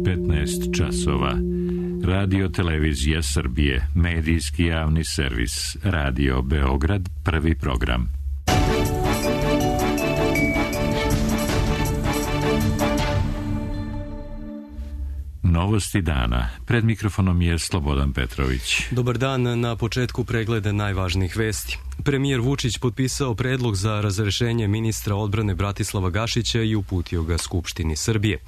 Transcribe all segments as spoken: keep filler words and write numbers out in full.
petnaest časova. Radio Televizija Srbije, medijski javni servis, Radio Beograd, prvi program. Novosti dana. Pred mikrofonom je Slobodan Petrović. Dobar dan, na početku pregleda najvažnijih vesti. Premijer Vučić potpisao predlog za razrešenje ministra odbrane Bratislava Gašića i uputio ga Skupštini Srbije.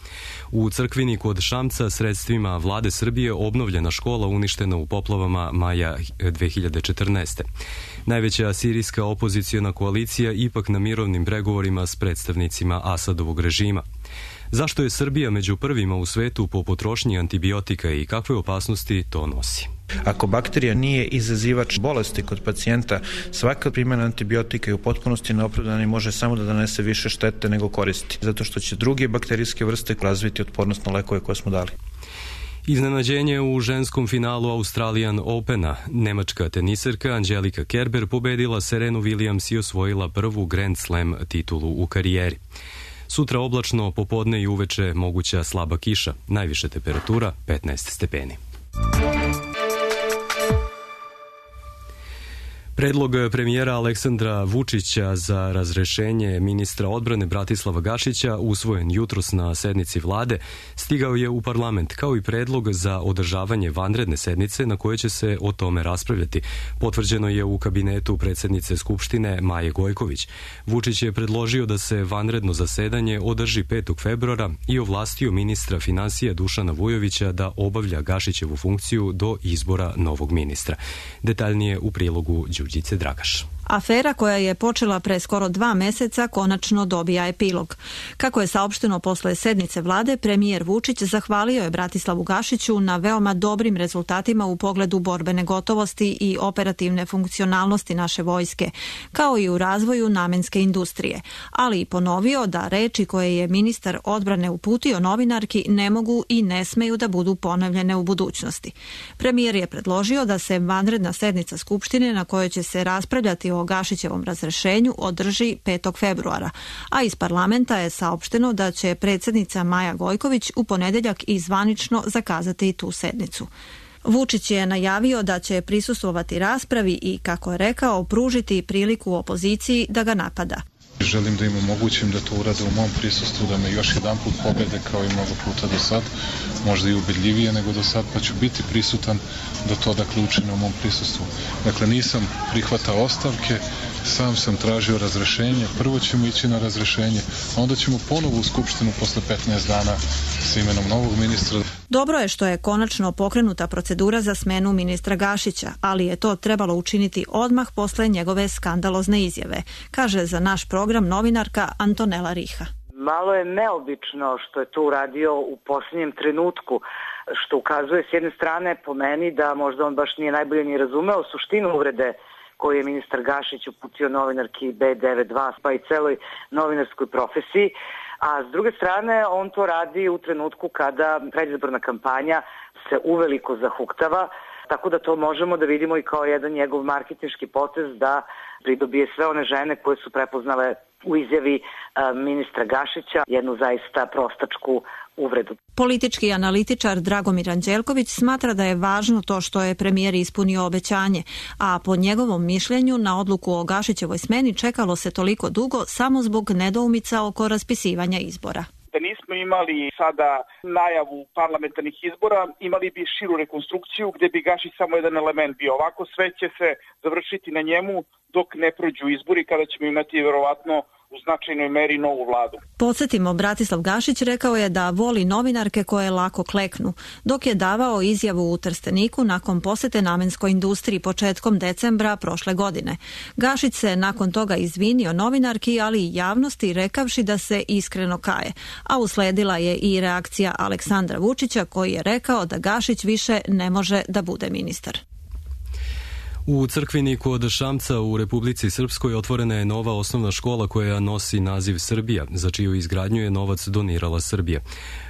U Crkvini kod Šamca sredstvima vlade Srbije obnovljena škola uništena u poplavama maja dve hiljade četrnaeste. Najveća sirijska opoziciona koalicija ipak na mirovnim pregovorima s predstavnicima Asadovog režima. Zašto je Srbija među prvima u svetu po potrošnji antibiotika i kakve opasnosti to nosi? Ako bakterija nije izazivač bolesti kod pacijenta, svaka primjena antibiotika je u potpunosti neopravdana i može samo da donese više štete nego koristi, zato što će druge bakterijske vrste razviti otpornost na lekove koje smo dali. Iznenađenje u ženskom finalu Australian Opena. Nemačka teniserka Angelika Kerber pobedila Serenu Williams i osvojila prvu Grand Slam titulu u karijeri. Sutra oblačno, popodne i uveče moguća slaba kiša. Najviša temperatura petnaest stepeni. Predlog premijera Aleksandra Vučića za razrešenje ministra odbrane Bratislava Gašića, usvojen jutros na sednici vlade, stigao je u parlament, kao i predlog za održavanje vanredne sednice na kojoj će se o tome raspravljati. Potvrđeno je u kabinetu predsjednice Skupštine Maje Gojković. Vučić je predložio da se vanredno zasedanje održi petog februara i ovlastio ministra finansija Dušana Vujovića da obavlja Gašićevu funkciju do izbora novog ministra. Detaljnije u prilogu Đurđice Dragaš. Afera koja je počela pre skoro dva meseca konačno dobija epilog. Kako je saopšteno posle sednice vlade, premijer Vučić zahvalio je Bratislavu Gašiću na veoma dobrim rezultatima u pogledu borbene gotovosti i operativne funkcionalnosti naše vojske, kao i u razvoju namenske industrije, ali i ponovio da reči koje je ministar odbrane uputio novinarki ne mogu i ne smeju da budu ponavljene u budućnosti. Premijer je predložio da se vanredna sednica Skupštine na kojoj će se raspravljati o Gašićevom razrešenju održi petog februara, a iz parlamenta je saopšteno da će predsjednica Maja Gojković u ponedeljak i zvanično zakazati tu sednicu. Vučić je najavio da će prisustvovati raspravi i, kako je rekao, pružiti priliku opoziciji da ga napada. Želim da im omogućim da to urade u mom prisustvu, da me još jedan put pobede kao i mnogo puta do sad, možda i ubedljivije nego do sad, pa ću biti prisutan da to dakle učine u mom prisustvu. Dakle, nisam prihvatao ostavke, sam sam tražio razrešenje, prvo ćemo ići na razrešenje, a onda ćemo ponovo u Skupštinu posle petnaest dana sa imenom novog ministra. Dobro je što je konačno pokrenuta procedura za smenu ministra Gašića, ali je to trebalo učiniti odmah posle njegove skandalozne izjave, kaže za naš program novinarka Antonela Riha. Malo je neobično što je to uradio u posljednjem trenutku, što ukazuje s jedne strane po meni da možda on baš nije najbolje ni razumeo suštinu uvrede koju je ministar Gašić uputio novinarki B devedeset dva pa i celoj novinarskoj profesiji. A s druge strane, on to radi u trenutku kada predizborna kampanja se uveliko zahuktava, tako da to možemo da vidimo i kao jedan njegov marketinški potez da pridobije sve one žene koje su prepoznale u izjavi ministra Gašića jednu zaista prostačku uvredu. Politički analitičar Dragomir Anđelković smatra da je važno to što je premijer ispunio obećanje, a po njegovom mišljenju na odluku o Gašićevoj smeni čekalo se toliko dugo samo zbog nedoumica oko raspisivanja izbora. Da nismo imali sada najavu parlamentarnih izbora, imali bi širu rekonstrukciju gdje bi Gašić samo jedan element bio. Ovako sve će se završiti na njemu dok ne prođu izbori, kada ćemo imati verovatno u značajnoj meri novu vladu. Podsjetimo, Bratislav Gašić rekao je da voli novinarke koje lako kleknu, dok je davao izjavu u Trsteniku nakon posete namenskoj industriji početkom decembra prošle godine. Gašić se nakon toga izvinio novinarki, ali i javnosti, rekavši da se iskreno kaje, a usledila je i reakcija Aleksandra Vučića koji je rekao da Gašić više ne može da bude ministar. U Crkvini kod Šamca u Republici Srpskoj otvorena je nova osnovna škola koja nosi naziv Srbija, za čiju izgradnju je novac donirala Srbija.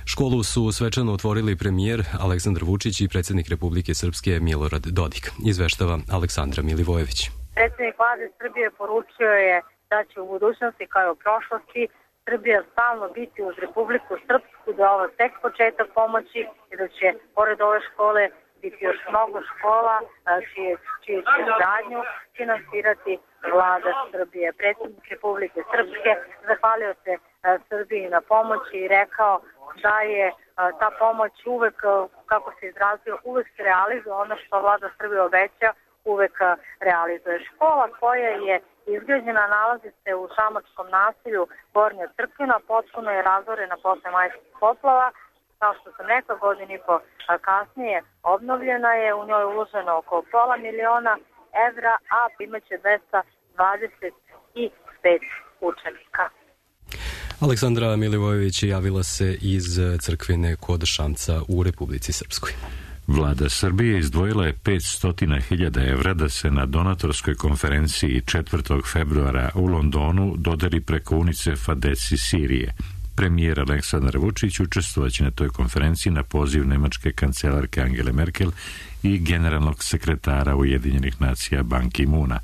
Školu su svečano otvorili premijer Aleksandar Vučić i predsjednik Republike Srpske Milorad Dodik. Izveštava Aleksandra Milivojević. Predsjednik vlade Srbije poručio je da će u budućnosti kao i u prošlosti Srbija stalno biti uz Republiku Srpsku, da je ovo tek početak pomoći i da će pored ove škole biti još mnogo škola čije, čije će izgradnju finansirati vlada Srbije. Predsjednik Republike Srpske zahvalio se Srbiji na pomoći i rekao da je ta pomoć uvek, kako se izrazio, uvek se realizuje ono što vlada Srbije obeća, uvek realizuje. Škola koja je izgrađena nalazi se u šamačkom naselju Gornja Crkvina, potpuno je razorena posle majskih poplava. Kao što sam rekla, godinu i po kasnije obnovljena je, u njoj uloženo oko pola miliona evra, a imaće dvesta dvadeset pet učenika. Aleksandra Milivojević javila se iz Crkvine kod Šamca u Republici Srpskoj. Vlada Srbije izdvojila je petsto hiljada evra da se na donatorskoj konferenciji četvrtog februara u Londonu dodeli preko UNICEF-a deci Sirije. Premijer Aleksandar Vučić učestvovaće na toj konferenciji na poziv nemačke kancelarke Angele Merkel i generalnog sekretara Ujedinjenih nacija Ban Ki-moona.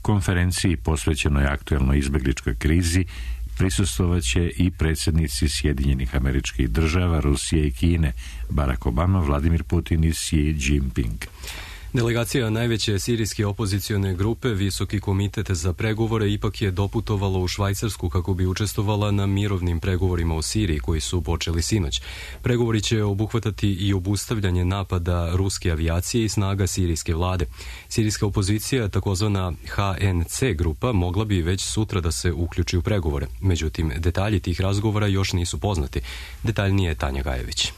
Konferenciji posvećenoj aktuelnoj izbegličkoj krizi prisustvovaće i predsjednici Sjedinjenih Američkih Država, Rusije i Kine, Barack Obama, Vladimir Putin i Xi Jinping. Delegacija najveće sirijske opozicione grupe, Visoki komitet za pregovore, ipak je doputovala u Švajcarsku kako bi učestvovala na mirovnim pregovorima u Siriji koji su počeli sinoć. Pregovori će obuhvatati i obustavljanje napada ruske avijacije i snaga sirijske vlade. Sirijska opozicija, takozvana H N C grupa, mogla bi već sutra da se uključi u pregovore. Međutim, detalji tih razgovora još nisu poznati. Detaljnije je Tanja Gajević.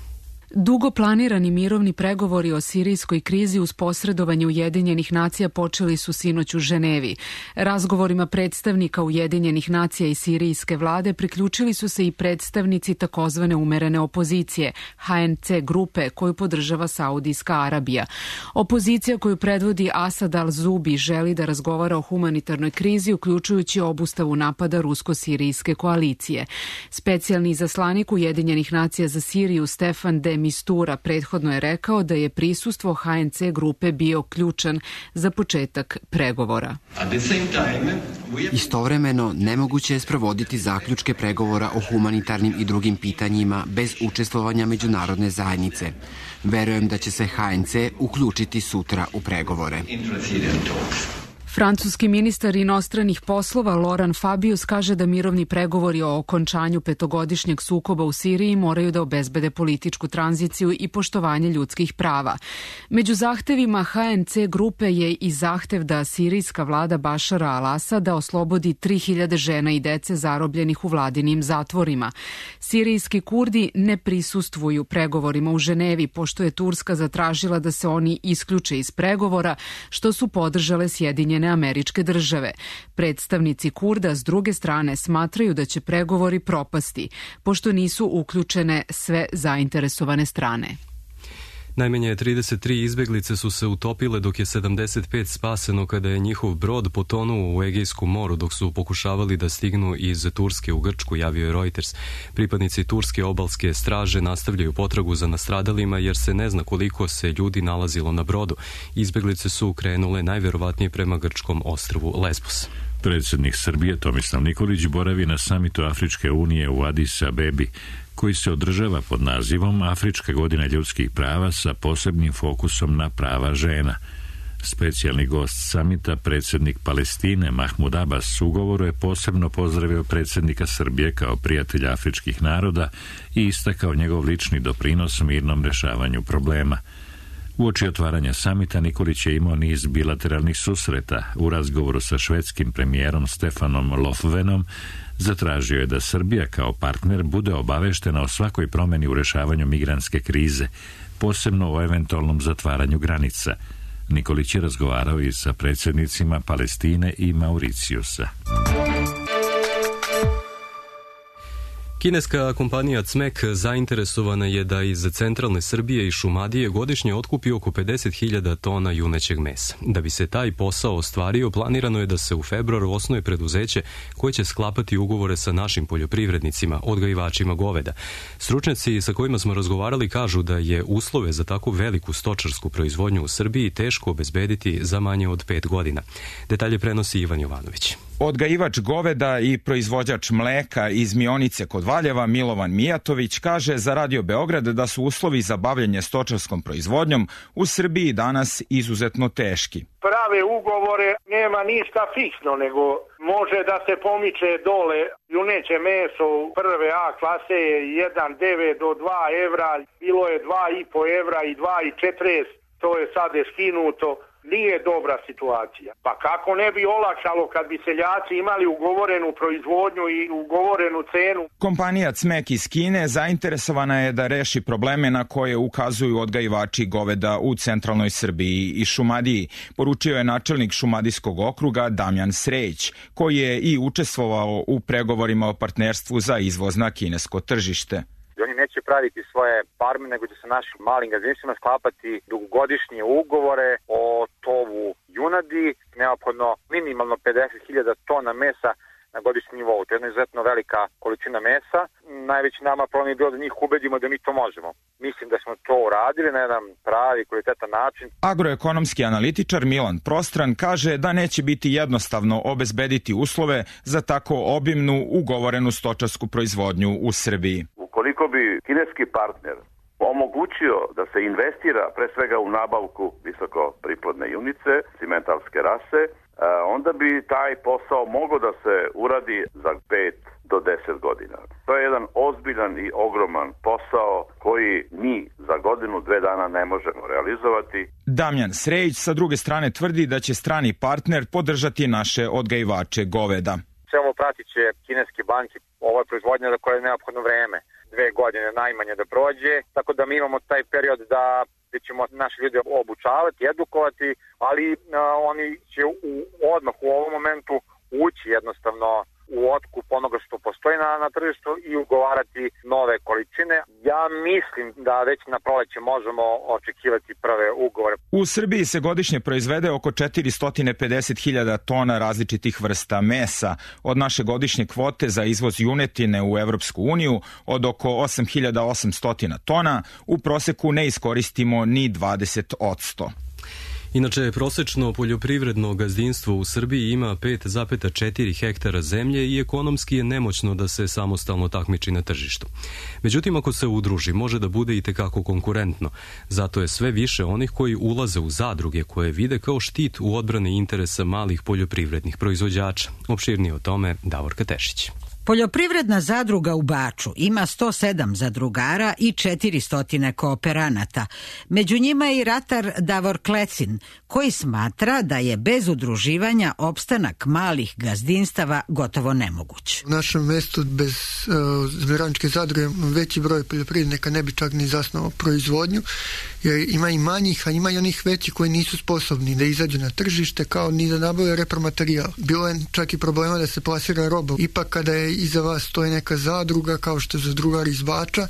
Dugo planirani mirovni pregovori o sirijskoj krizi uz posredovanje Ujedinjenih nacija počeli su sinoć u Ženevi. Razgovorima predstavnika Ujedinjenih nacija i sirijske vlade priključili su se i predstavnici takozvane umerene opozicije, H N C grupe, koju podržava Saudijska Arabija. Opozicija koju predvodi Asad al-Zubi želi da razgovara o humanitarnoj krizi, uključujući obustavu napada rusko-sirijske koalicije. Specijalni izaslanik Ujedinjenih nacija za Siriju Stefan de Mistura prethodno je rekao da je prisustvo H N C grupe bio ključan za početak pregovora. Istovremeno, nemoguće je sprovoditi zaključke pregovora o humanitarnim i drugim pitanjima bez učestvovanja međunarodne zajednice. Verujem da će se H N C uključiti sutra u pregovore. Francuski ministar inostranih poslova Laurent Fabius kaže da mirovni pregovori o okončanju petogodišnjeg sukoba u Siriji moraju da obezbede političku tranziciju i poštovanje ljudskih prava. Među zahtevima H N C grupe je i zahtev da sirijska vlada Bašara al-Asada oslobodi tri hiljade žena i dece zarobljenih u vladinim zatvorima. Sirijski Kurdi ne prisustvuju pregovorima u Ženevi, pošto je Turska zatražila da se oni isključe iz pregovora, što su podržale Sjedinjene Američke Države. Predstavnici Kurda s druge strane smatraju da će pregovori propasti, pošto nisu uključene sve zainteresovane strane. Najmanje trideset tri izbeglice su se utopile, dok je sedamdeset pet spaseno kada je njihov brod potonuo u Egejskom moru dok su pokušavali da stignu iz Turske u Grčku, javio je Reuters. Pripadnici Turske obalske straže nastavljaju potragu za nastradalima jer se ne zna koliko se ljudi nalazilo na brodu. Izbeglice su krenule najverovatnije prema grčkom ostrvu Lesbos. Predsjednik Srbije Tomislav Nikolić boravi na samitu Afričke unije u Adis Abebi, koji se održava pod nazivom Afrička godina ljudskih prava sa posebnim fokusom na prava žena. Specijalni gost samita, predsjednik Palestine Mahmud Abbas, u govoru je posebno pozdravio predsjednika Srbije kao prijatelja afričkih naroda i istakao njegov lični doprinos mirnom rješavanju problema. Uoči otvaranja samita Nikolić je imao niz bilateralnih susreta. U razgovoru sa švedskim premijerom Stefanom Lofvenom zatražio je da Srbija kao partner bude obaveštena o svakoj promjeni u rješavanju migrantske krize, posebno o eventualnom zatvaranju granica. Nikolić je razgovarao i sa predsjednicima Palestine i Mauricijusa. Kineska kompanija C M E K zainteresovana je da iz centralne Srbije i Šumadije godišnje otkupi oko pedeset hiljada tona junećeg mesa. Da bi se taj posao ostvario, planirano je da se u februaru osnuje preduzeće koje će sklapati ugovore sa našim poljoprivrednicima, odgajivačima goveda. Stručnjaci sa kojima smo razgovarali kažu da je uslove za takvu veliku stočarsku proizvodnju u Srbiji teško obezbediti za manje od pet godina. Detalje prenosi Ivan Jovanović. Odgajivač goveda i proizvođač mleka iz Mionice kod Valjeva Milovan Mijatović kaže za Radio Beograd da su uslovi za bavljenje stočarskom proizvodnjom u Srbiji danas izuzetno teški. Prave ugovore nema ništa fiksno, nego može da se pomiče dole. Juneće meso u prve A klase je jedan zarez devet do dva evra, bilo je dva i po evra i dva i četrdeset, to je sad je skinuto. Nije dobra situacija. Pa kako ne bi olakšalo kad bi seljaci imali ugovorenu proizvodnju i ugovorenu cenu? Kompanija Cmek iz Kine zainteresovana je da reši probleme na koje ukazuju odgajivači goveda u centralnoj Srbiji i Šumadiji, poručio je načelnik Šumadijskog okruga Damjan Sreć, koji je i učestvovao u pregovorima o partnerstvu za izvoz na kinesko tržište. Oni neće praviti svoje farme, nego će sa našim malim gazdinstvima sklapati dugogodišnje ugovore o tovu junadi, neophodno minimalno pedeset hiljada tona mesa na godišnjem nivou. To je jedna izuzetno velika količina mesa. Najveći nama problem je bilo da njih ubedimo da mi to možemo. Mislim da smo to uradili na jedan pravi, kvalitetan način. Agroekonomski analitičar Milan Prostran kaže da neće biti jednostavno obezbediti uslove za tako obimnu ugovorenu stočarsku proizvodnju u Srbiji. Ukoliko bi kineski partner omogućio da se investira pre svega u nabavku visoko priplodne junice, cimentarske rase, onda bi taj posao mogao da se uradi za pet do deset godina. To je jedan ozbiljan i ogroman posao koji mi za godinu, dve dana ne možemo realizovati. Damjan Srejić sa druge strane tvrdi da će strani partner podržati naše odgajivače goveda. Sve ovo pratit će kineske banke, ovo je proizvodnja za koje je neophodno vreme, dve godine najmanje da prođe, tako da mi imamo taj period da gde ćemo naše ljude obučavati, edukovati, ali a, oni će u, odmah u ovom momentu ući jednostavno u otkup onoga što postoji na, na tržištu i ugovarati nove količine. Ja mislim da već na proleće možemo očekivati prve ugovore. U Srbiji se godišnje proizvede oko četiristo pedeset hiljada tona različitih vrsta mesa. Od naše godišnje kvote za izvoz junetine u Evropsku uniju od oko osam hiljada osamsto tona u proseku ne iskoristimo ni dvadeset odsto. Inače, prosečno poljoprivredno gazdinstvo u Srbiji ima pet zarez četiri hektara zemlje i ekonomski je nemoćno da se samostalno takmiči na tržištu. Međutim, ako se udruži, može da bude i tekako konkurentno. Zato je sve više onih koji ulaze u zadruge koje vide kao štit u odbrani interesa malih poljoprivrednih proizvođača. Opširnije o tome Davorka Tešić. Poljoprivredna zadruga u Baču ima sto sedam zadrugara i četiristo kooperanata. Među njima je i ratar Davor Klecin, koji smatra da je bez udruživanja opstanak malih gazdinstava gotovo nemoguć. U našem mestu bez uh, zemljoradničke zadruge veći broj poljoprivrednika ne bi čak ni zasnovao proizvodnju, jer ima i manjih, a ima i onih većih koji nisu sposobni da izađu na tržište kao ni da nabave repromaterijal. Bilo je čak i problema da se plasira roba. Ipak kada je iza vas stoji neka zadruga kao što je zadrugar iz Bača,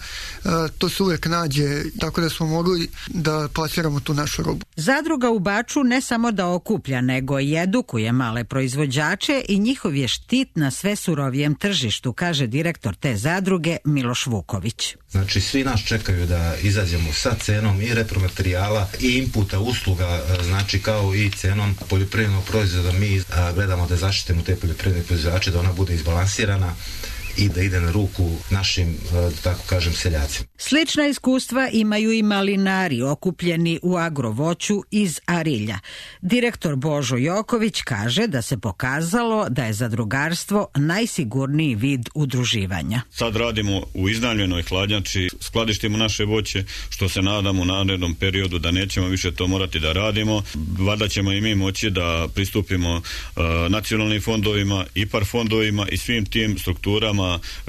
to se uvek nađe, tako da smo mogli da plasiramo tu našu robu. Zadruga u Baču ne samo da okuplja, nego i edukuje male proizvođače i njihov je štit na sve surovijem tržištu, kaže direktor te zadruge Miloš Vuković. Znači, svi nas čekaju da izađemo sa cenom i repromaterijala i inputa usluga, znači kao i cenom poljoprivrednog proizvoda. Mi gledamo da zaštitimo te poljoprivredne proizvođače, da ona bude izbalansirana i da ide na ruku našim, da tako kažem, seljacima. Slična iskustva imaju i malinari okupljeni u agrovoću iz Arilja. Direktor Božo Joković kaže da se pokazalo da je zadrugarstvo najsigurniji vid udruživanja. Sad radimo u iznajmljenoj hladnjači, skladištimo naše voće, što se nadamo u narednom periodu da nećemo više to morati da radimo. Valjda ćemo i mi moći da pristupimo uh, nacionalnim fondovima, I P A R fondovima i svim tim strukturama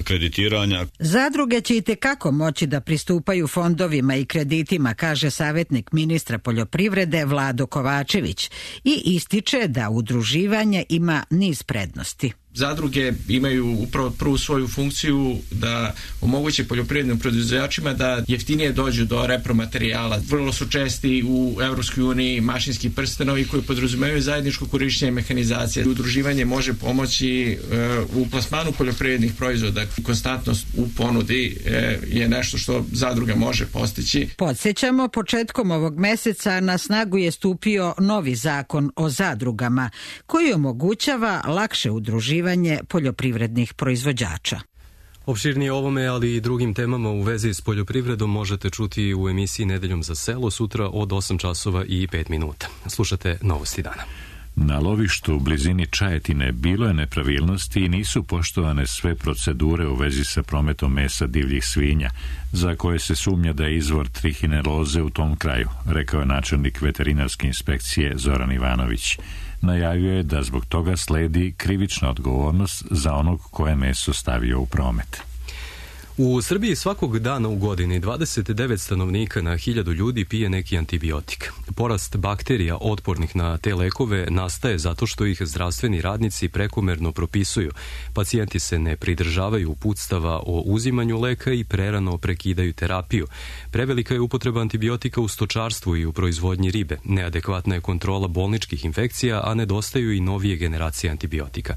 kreditiranja. Zadruge će i tekako moći da pristupaju fondovima i kreditima, kaže savjetnik ministra poljoprivrede Vlado Kovačević i ističe da udruživanje ima niz prednosti. Zadruge imaju upravo prvu svoju funkciju da omoguće poljoprivrednim proizvođačima da jeftinije dođu do repromaterijala. Vrlo su česti u Evropskoj uniji mašinski prstenovi koji podrazumevaju zajedničko korišćenje mehanizacije. Udruživanje može pomoći u plasmanu poljoprivrednih proizvoda. Konstantnost u ponudi je nešto što zadruga može postići. Podsjećamo, početkom ovog meseca na snagu je stupio novi zakon o zadrugama koji omogućava lakše udruživanje poljoprivrednih proizvođača. Opširnije ovome, ali i drugim temama u vezi s poljoprivredom možete čuti u emisiji Nedeljom za selo sutra od osam časova i pet minuta. Slušate Novosti dana. Na lovištu u blizini Čajetine bilo je nepravilnosti i nisu poštovane sve procedure u vezi sa prometom mesa divljih svinja, za koje se sumnja da je izvor trihineloze u tom kraju, rekao je načelnik veterinarske inspekcije Zoran Ivanović. Najavio je da zbog toga sledi krivična odgovornost za onog ko je meso stavio u promet. U Srbiji svakog dana u godini dvadeset devet stanovnika na hiljadu ljudi pije neki antibiotik. Porast bakterija otpornih na te lekove nastaje zato što ih zdravstveni radnici prekomerno propisuju. Pacijenti se ne pridržavaju uputstava o uzimanju leka i prerano prekidaju terapiju. Prevelika je upotreba antibiotika u stočarstvu i u proizvodnji ribe. Neadekvatna je kontrola bolničkih infekcija, a nedostaju i novije generacije antibiotika.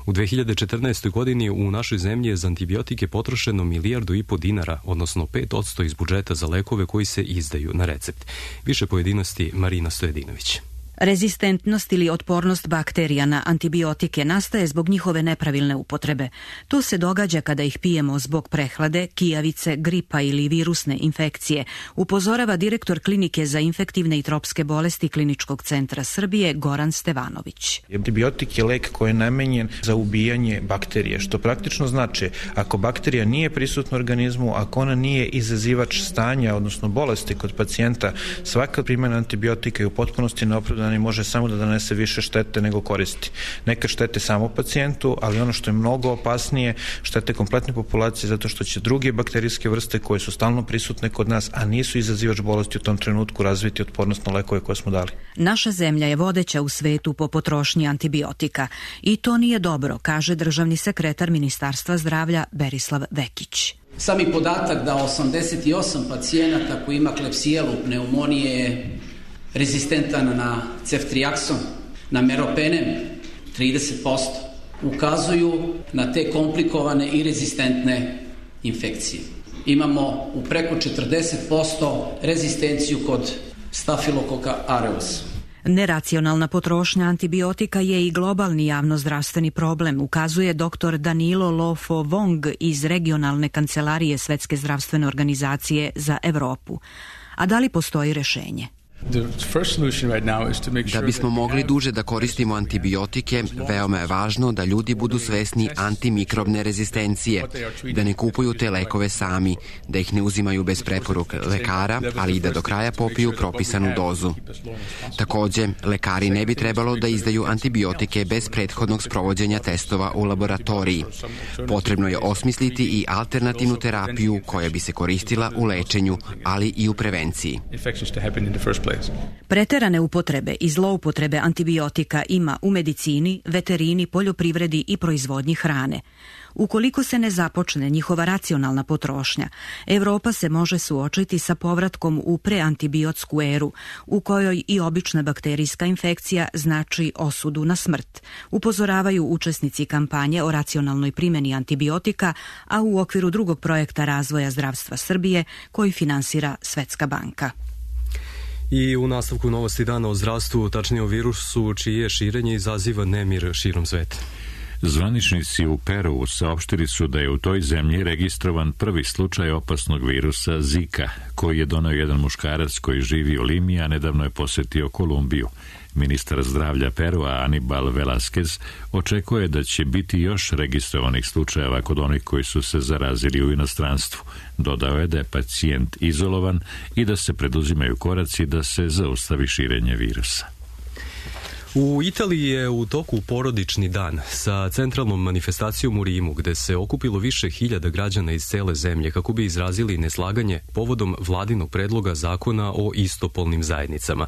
U dve hiljade četrnaestoj. godini u našoj zemlji je za antibiotike potrošeno milijardu i po dinara, odnosno pet odsto iz budžeta za lekove koji se izdaju na recept. Više pojedinosti Marina Stojedinović. Rezistentnost ili otpornost bakterija na antibiotike nastaje zbog njihove nepravilne upotrebe. To se događa kada ih pijemo zbog prehlade, kijavice, gripa ili virusne infekcije, upozorava direktor Klinike za infektivne i tropske bolesti Kliničkog centra Srbije Goran Stevanović. Antibiotik je lek koji je namenjen za ubijanje bakterije, što praktično znači ako bakterija nije prisutna u organizmu, ako ona nije izazivač stanja, odnosno bolesti kod pacijenta, svaka primjena antibiotika je u potpunosti neopravdana i može samo da donese više štete nego koristi. Neka štete samo pacijentu, ali ono što je mnogo opasnije, štete kompletne populacije zato što će druge bakterijske vrste koje su stalno prisutne kod nas, a nisu izazivač bolesti u tom trenutku, razviti otpornost na lekove koje smo dali. Naša zemlja je vodeća u svetu po potrošnji antibiotika i to nije dobro, kaže državni sekretar Ministarstva zdravlja Berislav Vekić. Sami podatak da osamdeset osam pacijenata koji ima klepsijelu pneumonije je rezistentan na ceftriakson, na meropenem, trideset posto, ukazuju na te komplikovane i rezistentne infekcije. Imamo u preko četrdeset posto rezistenciju kod Staphylococcus aureus. Neracionalna potrošnja antibiotika je i globalni javnozdravstveni problem, ukazuje doktor Danilo Lofo Wong iz regionalne kancelarije Svetske zdravstvene organizacije za Evropu. A da li postoji rešenje? Da bismo mogli duže da koristimo antibiotike, veoma je važno da ljudi budu svesni antimikrobne rezistencije, da ne kupuju te lekove sami, da ih ne uzimaju bez preporuke lekara, ali i da do kraja popiju propisanu dozu. Takođe, lekari ne bi trebalo da izdaju antibiotike bez prethodnog sprovođenja testova u laboratoriji. Potrebno je osmisliti i alternativnu terapiju koja bi se koristila u lečenju, ali i u prevenciji. Preterane upotrebe i zloupotrebe antibiotika ima u medicini, veterini, poljoprivredi i proizvodnji hrane. Ukoliko se ne započne njihova racionalna potrošnja, Evropa se može suočiti sa povratkom u preantibiotsku eru, u kojoj i obična bakterijska infekcija znači osudu na smrt, upozoravaju učesnici kampanje o racionalnoj primjeni antibiotika, a u okviru drugog projekta razvoja zdravstva Srbije koji finansira Svetska banka. I u nastavku Novosti dana o zdravstvu, tačnije o virusu čije širenje izaziva nemir širom sveta. Zvaničnici u Peru saopštili su da je u toj zemlji registrovan prvi slučaj opasnog virusa Zika, koji je doneo jedan muškarac koji živi u Limi, a nedavno je posetio Kolumbiju. Ministar zdravlja Perua Anibal Velasquez očekuje da će biti još registrovanih slučajeva kod onih koji su se zarazili u inostranstvu. Dodao je da je pacijent izolovan i da se preduzimaju koraci da se zaustavi širenje virusa. U Italiji je u toku porodični dan sa centralnom manifestacijom u Rimu, gde se okupilo više hiljada građana iz cele zemlje kako bi izrazili neslaganje povodom vladinog predloga zakona o istopolnim zajednicama.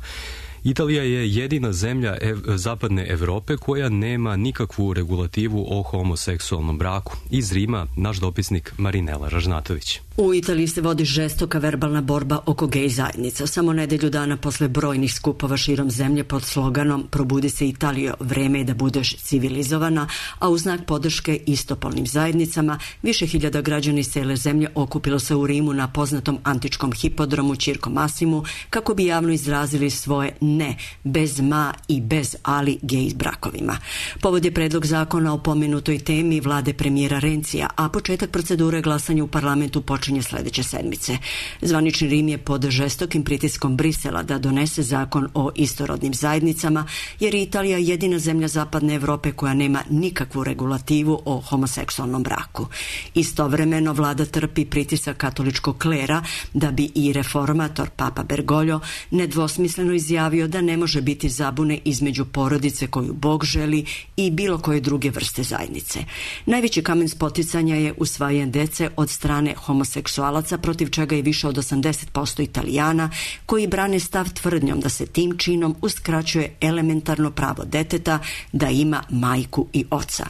Italija je jedina zemlja ev, zapadne Evrope koja nema nikakvu regulativu o homoseksualnom braku. Iz Rima, naš dopisnik Marinela Ražnatović. U Italiji se vodi žestoka verbalna borba oko gej zajednica. Samo nedelju dana posle brojnih skupova širom zemlje pod sloganom Probudi se Italijo, vreme je da budeš civilizovana, a u znak podrške istopolnim zajednicama, više hiljada građana iz cele zemlje okupilo se u Rimu na poznatom antičkom hipodromu Circo Massimu kako bi javno izrazili svoje ne, bez ma i bez ali gej brakovima. Povod je predlog zakona o pomenutoj temi vlade premijera Rencija, a početak procedure glasanja u parlamentu počinje sledeće sedmice. Zvanični Rim je pod žestokim pritiskom Brisela da donese zakon o istorodnim zajednicama, jer je Italija jedina zemlja zapadne Evrope koja nema nikakvu regulativu o homoseksualnom braku. Istovremeno vlada trpi pritisak katoličkog klera da bi i reformator Papa Bergoglio nedvosmisleno izjavio da ne može biti zabune između porodice koju Bog želi i bilo koje druge vrste zajednice. Najveći kamen spoticanja je usvajanje dece od strane homoseksualaca, protiv čega je više od osamdeset posto Italijana koji brane stav tvrdnjom da se tim činom uskraćuje elementarno pravo deteta da ima majku i oca.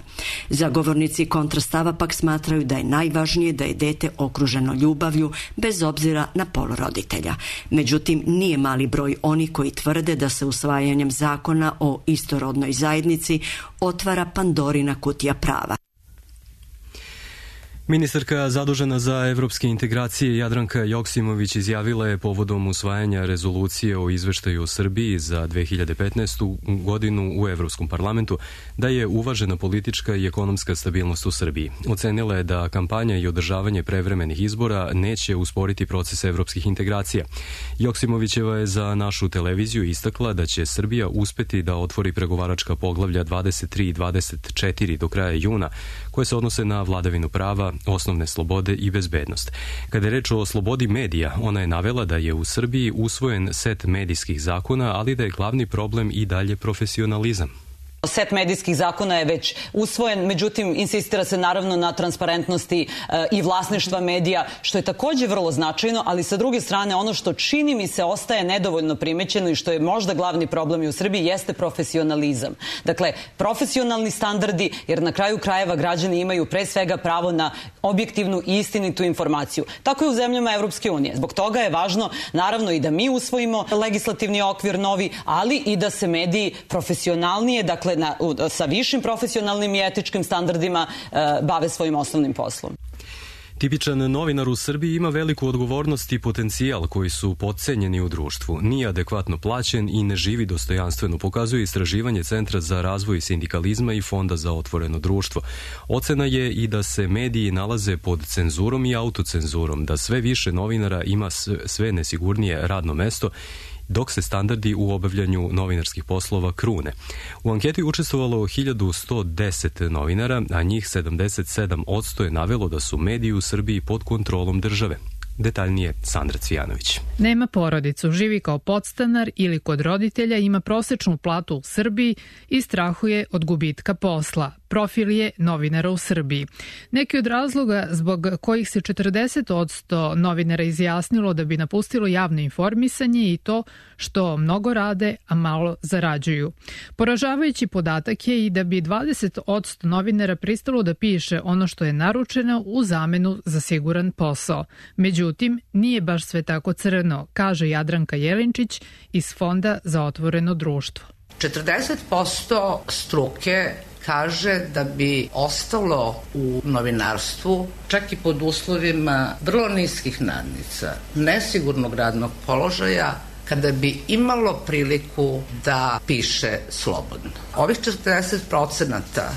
Zagovornici kontrastava pak smatraju da je najvažnije da je dete okruženo ljubavlju bez obzira na pol roditelja. Međutim, nije mali broj oni koji tvrde da se usvajanjem zakona o istorodnoj zajednici otvara Pandorina kutija prava. Ministarka zadužena za evropske integracije Jadranka Joksimović izjavila je povodom usvajanja rezolucije o izveštaju o Srbiji za dve hiljade petnaestu. godinu u Evropskom parlamentu da je uvažena politička i ekonomska stabilnost u Srbiji. Ocenila je da kampanja i održavanje prevremenih izbora neće usporiti proces evropskih integracija. Joksimovićeva je za našu televiziju istakla da će Srbija uspeti da otvori pregovaračka poglavlja dvadeset tri i dvadeset četiri do kraja juna, koje se odnose na vladavinu prava, osnovne slobode i bezbednost. Kada je reč o slobodi medija, ona je navela da je u Srbiji usvojen set medijskih zakona, ali da je glavni problem i dalje profesionalizam. Set medijskih zakona je već usvojen, međutim insistira se naravno na transparentnosti e, i vlasništva medija, što je takođe vrlo značajno, ali sa druge strane ono što čini mi se ostaje nedovoljno primećeno i što je možda glavni problem i u Srbiji jeste profesionalizam. Dakle, profesionalni standardi, jer na kraju krajeva građani imaju pre svega pravo na objektivnu i istinitu informaciju. Tako je u zemljama Evropske unije. Zbog toga je važno naravno i da mi usvojimo legislativni okvir novi, ali i da se mediji profesionalnije, dakle Na, sa višim profesionalnim i etičkim standardima e, bave svojim osnovnim poslom. Tipičan novinar u Srbiji ima veliku odgovornost i potencijal koji su potcenjeni u društvu. Nije adekvatno plaćen i ne živi dostojanstveno, pokazuje istraživanje Centra za razvoj sindikalizma i Fonda za otvoreno društvo. Ocena je i da se mediji nalaze pod cenzurom i autocenzurom, da sve više novinara ima sve nesigurnije radno mesto, dok se standardi u obavljanju novinarskih poslova krune. U anketi je učestvovalo hiljadu sto deset novinara, a njih sedamdeset sedam posto je navelo da su mediji u Srbiji pod kontrolom države. Detaljnije Sandra Cvijanović. Nema porodicu, živi kao podstanar ili kod roditelja, ima prosečnu platu u Srbiji i strahuje od gubitka posla. Profil je novinara u Srbiji. Neki od razloga zbog kojih se četrdeset posto novinara izjasnilo da bi napustilo javno informisanje i to što mnogo rade, a malo zarađuju. Poražavajući podatak je i da bi dvadeset posto novinara pristalo da piše ono što je naručeno u zamenu za siguran posao. Međutim, nije baš sve tako crno, kaže Jadranka Jelinčić iz Fonda za otvoreno društvo. četrdeset posto struke kaže da bi ostalo u novinarstvu, čak i pod uslovima vrlo niskih nadnica, nesigurnog radnog položaja, kada bi imalo priliku da piše slobodno. Ovih četrdeset procenata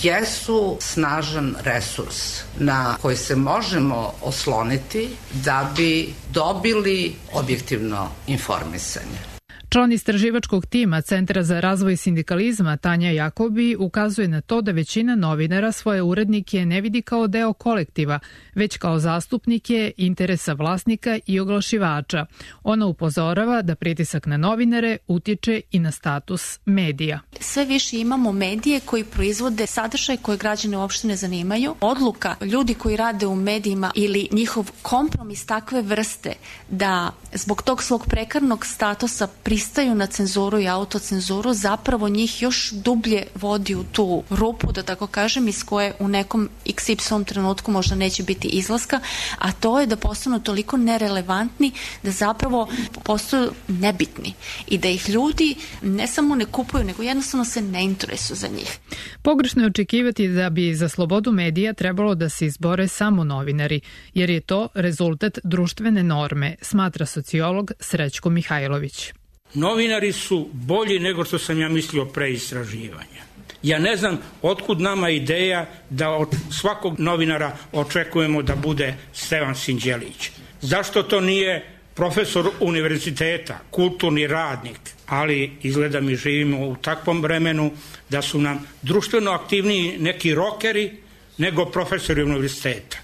jesu snažan resurs na koji se možemo osloniti da bi dobili objektivno informisanje. Član istraživačkog tima Centra za razvoj sindikalizma Tanja Jakobi ukazuje na to da većina novinara svoje urednike ne vidi kao deo kolektiva, već kao zastupnike interesa vlasnika i oglašivača. Ona upozorava da pritisak na novinare utiče i na status medija. Sve više imamo medije koji proizvode sadržaj koje građane uopšte ne zanimaju. Odluka ljudi koji rade u medijima ili njihov kompromis takve vrste da zbog tog svog prekarnog statusa pristaju pristaju na cenzuru i autocenzuru zapravo njih još dublje vodi u tu rupu, da tako kažem, iz koje u nekom iks ipsilon trenutku možda neće biti izlaska, a to je da postanu toliko nerelevantni da zapravo postaju nebitni i da ih ljudi ne samo ne kupuju, nego jednostavno se ne interesuju za njih. Pogrešno je očekivati da bi za slobodu medija trebalo da se izbore samo novinari, jer je to rezultat društvene norme, smatra sociolog Srećko Mihajlović. Novinari su bolji nego što sam ja mislio pre istraživanja. Ja ne znam otkud nama ideja da od svakog novinara očekujemo da bude Stevan Sinđelić. Zašto to nije profesor univerziteta, kulturni radnik, ali izgleda mi živimo u takvom vremenu da su nam društveno aktivniji neki rokeri nego profesori univerziteta.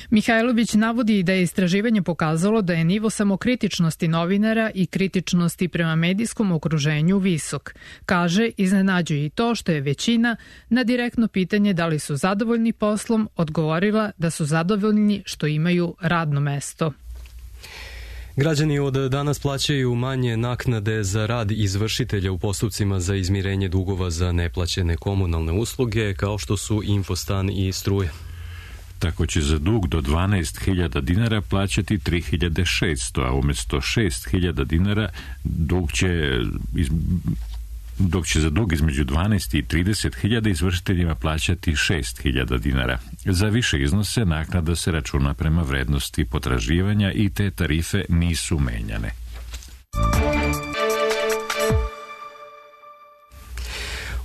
Mihajlović navodi da je istraživanje pokazalo da je nivo samokritičnosti novinara i kritičnosti prema medijskom okruženju visok. Kaže, iznenađuje i to što je većina na direktno pitanje da li su zadovoljni poslom odgovorila da su zadovoljni što imaju radno mesto. Građani od danas plaćaju manje naknade za rad izvršitelja u postupcima za izmirenje dugova za neplaćene komunalne usluge, kao što su Infostan i struja. Tako će za dug do dvanaest hiljada dinara plaćati tri hiljade šesto, a umjesto šest hiljada dinara dug će, iz, dok će za dug između dvanaest i trideset hiljada izvršiteljima plaćati šest hiljada dinara. Za više iznose naknada se računa prema vrednosti potraživanja i te tarife nisu menjane.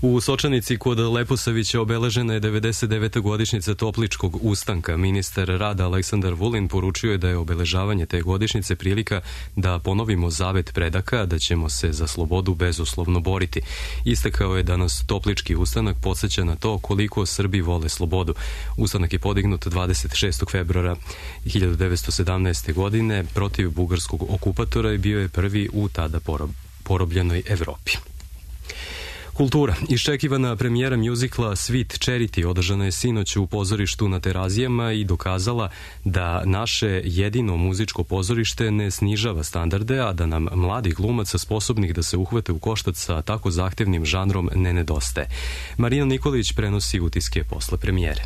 U Sočanici kod Leposavića obeležena je devedeset deveta godišnjica Topličkog ustanka. Ministar rada Aleksandar Vulin poručio je da je obeležavanje te godišnjice prilika da ponovimo zavet predaka, da ćemo se za slobodu bezuslovno boriti. Istakao je da nas Toplički ustanak podsjeća na to koliko Srbi vole slobodu. Ustanak je podignut dvadeset šestog februara hiljadu devetsto sedamnaeste. godine protiv bugarskog okupatora i bio je prvi u tada porobljenoj Evropi. Kultura. Iščekivana premijera mjuzikla Sweet Charity održana je sinoć u pozorištu na Terazijama i dokazala da naše jedino muzičko pozorište ne snižava standarde, a da nam mladih glumaca sposobnih da se uhvate u koštac sa tako zahtevnim žanrom ne nedostaje. Marina Nikolić prenosi utiske posle premijere.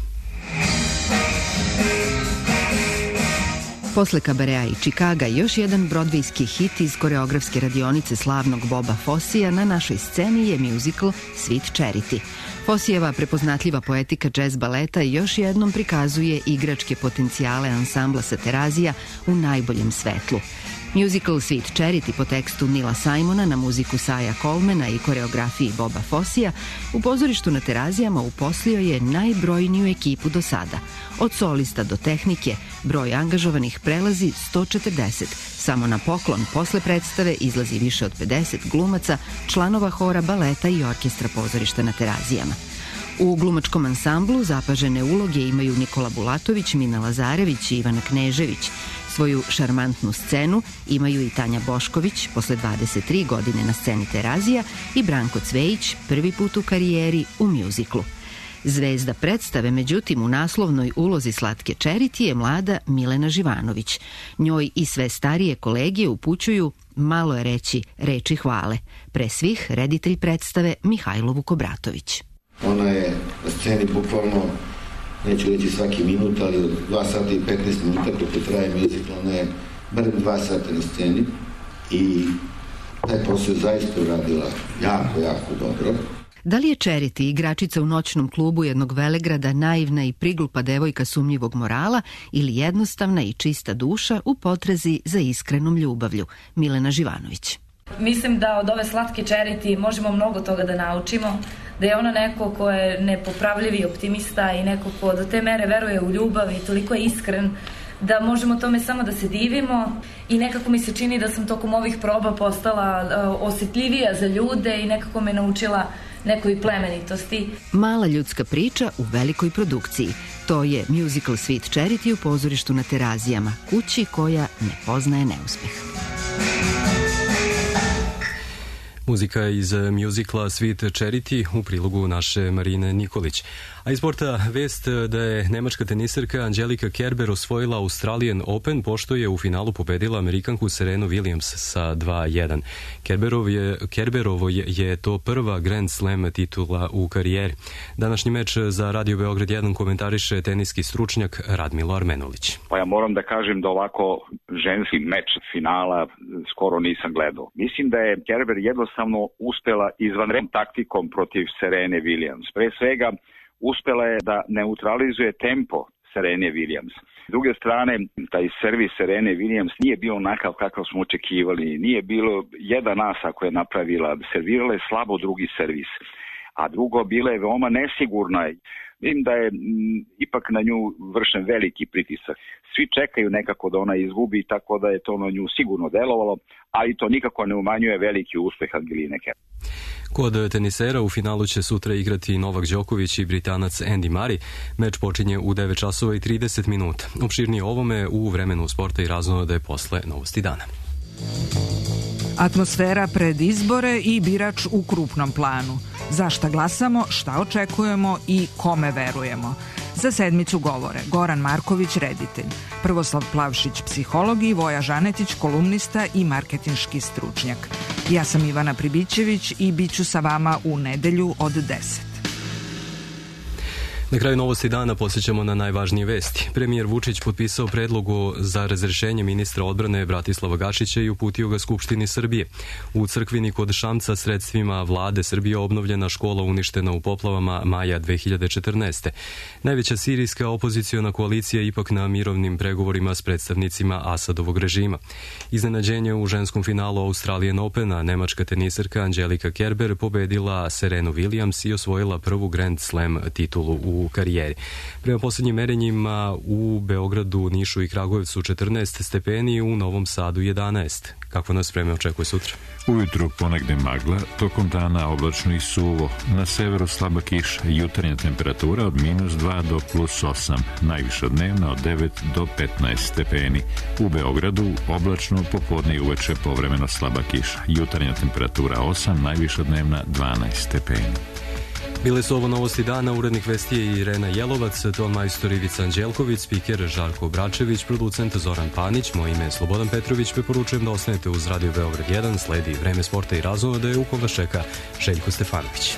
Posle Kabarea i Čikaga, još jedan brodvejski hit iz koreografske radionice slavnog Boba Fossija na našoj sceni je mjuzikl Sweet Charity. Fossijeva prepoznatljiva poetika jazz baleta još jednom prikazuje igračke potencijale ansambla sa Terazija u najboljem svetlu. Mjuzikl Sweet Charity po tekstu Nila Simona na muziku Saja Colemana i koreografiji Boba Fossija u pozorištu na Terazijama uposlio je najbrojniju ekipu do sada. Od solista do tehnike, broj angažovanih prelazi sto četrdeset. Samo na poklon posle predstave izlazi više od pedeset glumaca, članova hora, baleta i orkestra pozorišta na Terazijama. U glumačkom ansamblu zapažene uloge imaju Nikola Bulatović, Mina Lazarević i Ivana Knežević. Svoju šarmantnu scenu imaju i Tanja Bošković, posle dvadeset tri godine na sceni Terazija, i Branko Cvejić, prvi put u karijeri u mjuziklu. Zvezda predstave, međutim, u naslovnoj ulozi Slatke Charity je mlada Milena Živanović. Njoj i sve starije kolegije upućuju, malo je reći, reči hvale. Pre svih, reditelj predstave Mihajlo Vukobratović. Ona je na sceni bukvalno, neću reći svaki minut, ali od dva sata i petnaest minuta koliko traje mjuzikl, ona je barem dva sata na sceni i taj posao je zaista uradila jako, jako dobro. Da li je Charity, igračica u noćnom klubu jednog velegrada, naivna i priglupa devojka sumnjivog morala ili jednostavna i čista duša u potrazi za iskrenom ljubavlju? Milena Živanović. Mislim da od ove Slatke Charity možemo mnogo toga da naučimo, da je ona neko ko je nepopravljivi optimista i neko ko do te mere veruje u ljubav i toliko je iskren da možemo tome samo da se divimo i nekako mi se čini da sam tokom ovih proba postala uh, osjetljivija za ljude i nekako me naučila nekoj plemenitosti. Mala ljudska priča u velikoj produkciji. To je mjuzikl Sweet Charity u pozorištu na Terazijama, kući koja ne poznaje neuspeh. Muzika iz mjuzikla Sweet Charity u prilogu naše Marine Nikolić. A iz sporta vest da je nemačka teniserka Angelika Kerber osvojila Australian Open pošto je u finalu pobedila Amerikanku Serenu Williams sa dva jedan. Kerberov je, Kerberovo je, je to prva Grand Slam titula u karijeri. Današnji meč za Radio Beograd jedan komentariše teniski stručnjak Radmilo Armenulić. Pa ja moram da kažem da ovako ženski meč finala skoro nisam gledao. Mislim da je Kerber jednostavno uspela izvanrednom taktikom protiv Serene Williams. Pre svega uspela je da neutralizuje tempo Serene Williams. S druge strane, taj servis Serene Williams nije bio onakav kakav smo očekivali. Nije bilo jedan asa koja je napravila. Servirala je slabo drugi servis. A drugo, bila je veoma nesigurna. Vidim da je m, ipak na nju vršen veliki pritisak. Svi čekaju nekako da ona izgubi, tako da je to na nju sigurno delovalo, ali to nikako ne umanjuje veliki uspeh Angeline Kerber. Kod tenisera u finalu će sutra igrati Novak Đoković i Britanac Andy Murray. Meč počinje u devet časova i trideset minuta. Opširnije ovome u vremenu sporta i raznode posle Novosti dana. Atmosfera pred izbore i birač u krupnom planu. Za šta glasamo, šta očekujemo i kome verujemo. Za sedmicu govore Goran Marković, reditelj, Prvoslav Plavšić, psiholog i Voja Žanetić, kolumnista i marketinški stručnjak. Ja sam Ivana Pribićević i bit ću sa vama u nedelju od deset. Na kraju Novosti dana posjećamo na najvažnije vesti. Premijer Vučić potpisao predlogu za razrešenje ministra odbrane Bratislava Gašića i uputio ga Skupštini Srbije. U Crkvini kod Šamca sredstvima vlade Srbije obnovljena škola uništena u poplavama maja dve hiljade četrnaeste. Najveća sirijska opoziciona koalicija ipak na mirovnim pregovorima s predstavnicima Asadovog režima. Iznenađenje u ženskom finalu Australian Opena, nemačka teniserka Angelika Kerber pobedila Serenu Williams i osvojila prvu Grand Slam titulu u u karijeri. Prema posljednjim merenjima u Beogradu, Nišu i Kragujevcu četrnaest stepeni, u Novom Sadu jedanaest. Kako nas vreme očekuje sutra? Ujutru ponegde magla, tokom dana oblačno i suvo. Na severu slaba kiša, jutarnja temperatura od minus dva do plus osam, najviša dnevna od devet do petnaest stepeni. U Beogradu oblačno, popodne i uveče povremeno slaba kiša, jutarnja temperatura osam, najviša dnevna dvanaest stepeni. Bile su ovo Novosti dana, urednik vesti je Irena Jelovac, ton majstor Ivica Anđelković, spiker Žarko Bračević, producent Zoran Panić, moje ime je Slobodan Petrović, preporučujem da ostanete uz Radio Beograd jedan, sledi vreme sporta i razonode, u kom vas čeka Željko Stefanović.